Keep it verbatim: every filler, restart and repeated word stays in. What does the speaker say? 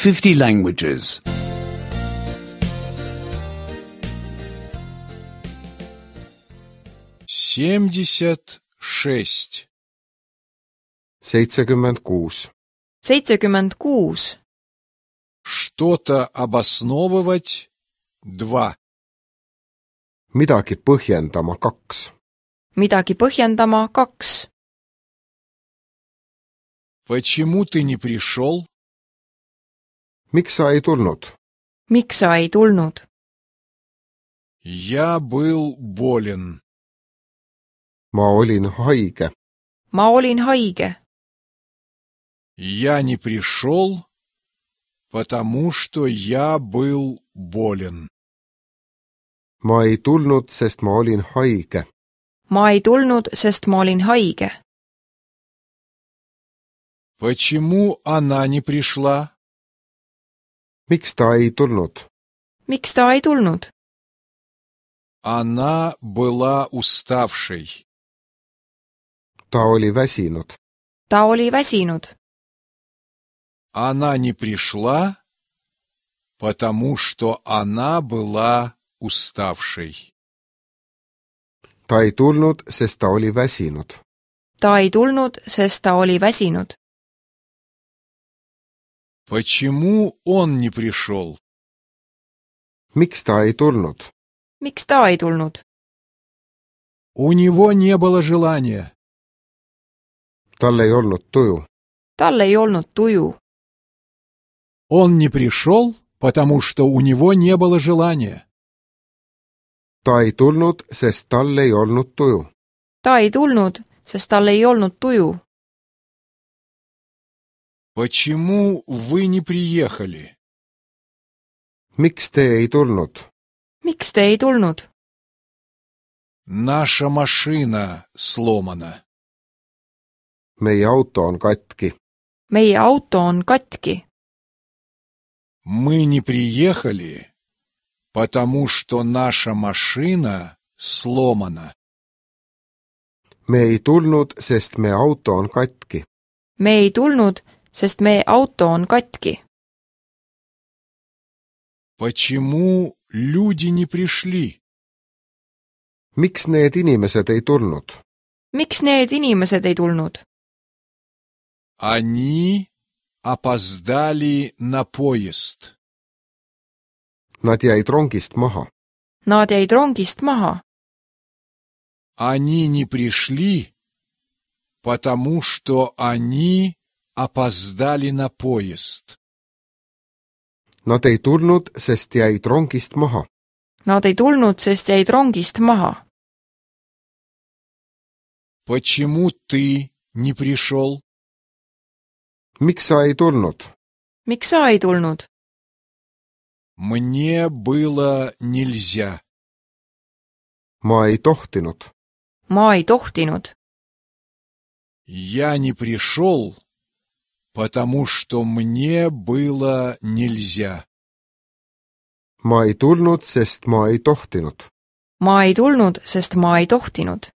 fifty languages. семьдесят шесть. seitsekümmend kuus. seitsekümmend kuus. Что-то обосновывать. Два. Midagi põhjendama kaks. Midagi põhjendama kaks. Почему ты не пришел? Miks sa ei tulnud? Miks sa ei tulnud? Я был болен. Ma olin haige. Ma olin haige. Я не пришел, потому что я был болен. Ma ei tulnud, sest ma olin haige. Ma ei tulnud, sest ma olin haige. Почему она не пришла? Miks ta ei tulnud? Miks ta ei tulnud? Она была уставшей. Ta oli väsinud. Ta oli väsinud. Она не пришла, потому что она была уставшей. Ta ei tulnud, sest ta oli väsinud. Ta ei tulnud, sest ta oli väsinud. Почему он не пришел? Miks ta ei tulnud? Miks ta ei tulnud? У него не было желания. Tal ei olnud tuju. Tal ei olnud tuju. Он не пришел, потому что у него не было желания. Ta ei tulnud, sest tal ei olnud tuju. Ta ei tulnud, sest tal ei olnud tuju. Почему вы не приехали? Miks te ei tulnud? Miks te ei tulnud? Наша машина сломана. Meie auto on katki. Meie auto on katki. Мы не приехали, потому что наша машина сломана. Me ei tulnud, sest meie auto on katki. Me ei tulnud, sest meie auto on katki. Почему люди не пришли? Miks need inimesed ei tulnud? Miks need inimesed ei tulnud? Они опоздали на поезд. Nad jäid rongist maha. Nad jäid rongist maha. Они не пришли, потому что они опоздали на поезд. Nad ei tulnud, sest jäid rongist maha. Nad ei tulnud, sest jäid rongist maha. Почему ты не пришел? Miks sa ei tulnud? Miks sa ei tulnud? Мне было нельзя. Ma ei tohtinud. Ma ei tohtinud. Я не пришел, потому что мне было нельзя. Ma ei tulnud, sest ma ei tohtinud. Ma ei tulnud, sest ma ei tohtinud.